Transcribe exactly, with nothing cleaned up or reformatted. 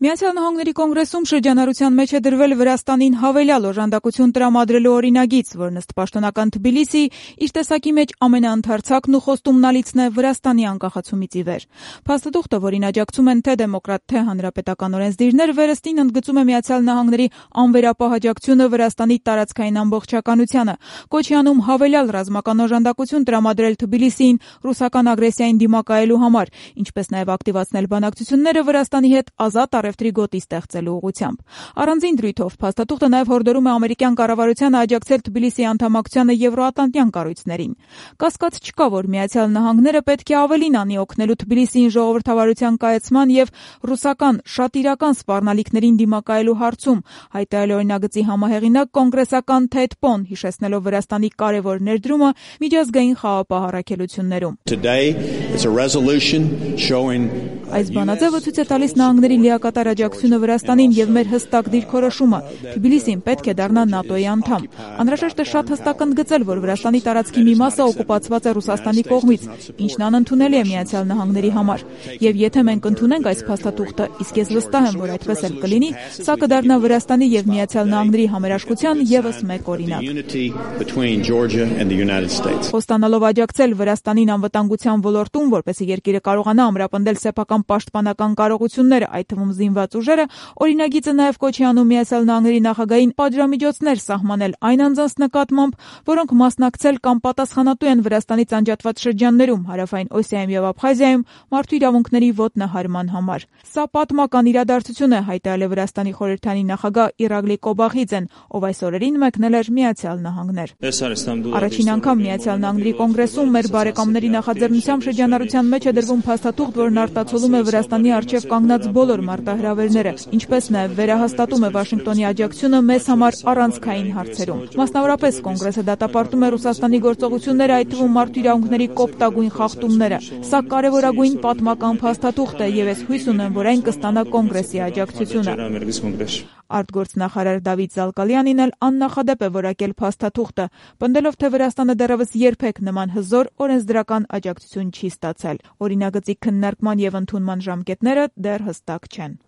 Միացյալ Նահանգների կոնգրեսում շրջանառության մեջ է դրվել Վրաստանին հավելյալ օժանդակություն տրամադրելու օրինագիծ, որն ըստ պաշտոնական Թբիլիսիի իր տեսակի մեջ ամենաընդարձակն ու խոստումնալիցն է Վրաստանի անկախացումից ի վեր։ Փաստաթուղթը, որին աջակցում են թե դեմոկրատ, թե հանրապետական օրենսդիրներ, վերստին ընդգծում է Միացյալ Նահանգների անվերապահ աջակցությունը Վրաստանի տարածքային ամբողջականությանը, կոչ է անում հավելյալ ռազմական օժանդակություն տրամադրել Թբիլիսիին ռուսական ագրեսիային դիմակայելու համար, ինչպես նաև ակտիվացնել բանակցությունները Վրաստանի հետ ազատ առևտրի գոտի ստեղծելու ուղղությամբ։ Առանձին դրույթով փաստաթուղթը նաև հորդորում է ամերիկյան կառավարությանը աջակցել Թբիլիսիի անդամակցությանը եվրոատլանտյան կառույցներին։ Կասկած չկա, որ Միացյալ Նահանգները պետք է ավելին անի օգնելու Թբիլիսիին ժողովրդավարության կայացման եւ ռուսական շատ իրական սպառնալիքներին դիմակայելու հարցում, հայտարարել օրինագծի համահեղինակ կոնգրեսական Թեդ Պոն, հիշեցնելով Վրաստանի կարևոր ներդրումը միջազգային խաղապահ առաքելություններում։ Այս բանաձևը ցույց է տալիս նահանգների լիակատար աջակցությունը Վրաստանին եւ մեր հստակ դիրքորոշումը։ Թբիլիսին պետք է դառնա ՆԱՏՕ-ի անդամ։ Անհրաժեշտ է շատ հստակ ընդգծել, որ Վրաստանի տարածքի մի մասը օկուպացված է Ռուսաստանի կողմից, ինչն անընդունելի է Միացյալ Նահանգների համար։ Եվ եթե մենք ընդունենք այս փաստաթուղթը, իսկ ես վստահ եմ, որ այդպես էլ կլինի, սա կդառնա Վրաստանի եւ Միացյալ Նահանգների համերաշխության եւս մեկ օրինակ։ Խոստանալով աջակցել Վրաստանին անվտանգության ոլորտում, որպեսզի երկիրը կարողանա ամրապնդել սեփական պաշտպանական կարողությունները, այդ թվում զինված ուժերը, օրինագիծը նաև կոչ է անում Միացյալ Նահանգների նախագահին պատժամիջոցներ սահմանել այն անձանց նկատմամբ, որոնք մասնակցել կամ պատասխանատու են Վրաստանից անջատված շրջաններում, Հարավային Օսիայում եւ Աբխազիայում մարդու իրավունքների ոտնահարման համար։ Սա պատմական իրադարձություն է, հայտարարել է Վրաստանի խորհրդանի նախագահ Իրագլի Կոբախիձեն, ով այս օրերին մեկնել էր Միացյալ Նահանգներ։ Առաջին անգամ Միացյալ Նահանգների կոնգրեսում մեր բարեկամների նախաձեռնությամբ շրջանառության մեջ է դրվում փաստաթուղթ, որն արտացոլում է Վրաստանի առջև կանգնած բոլոր մարտահրավերները, ինչպես նաև վերահաստատում է Վաշինգտոնի աջակցությունը մեզ համար առանցքային հարցերում։ Մասնավորապես կոնգրեսը դատապարտում է Ռուսաստանի գործողությունները, այդ թվում մարդու իրավունքների կոպտագույն խախտումները։ Սա կարևորագույն պատմական փաստաթուղթ է եւ ես հույս ունեմ, որ այն կստանա կոնգրեսի աջակցությունը։ Արտգործնախարար Դավիթ Զալկալյանին էլ աննախադեպ է որակել փաստաթուղթը, պնդելով, թե Վրաստանը դեռևս երբեք նման հզոր օրենսդրական աջակցություն չի ստացել։ Օրինագծի քննարկման եւ ընդունման ժամկետները դեռ հստակ չեն։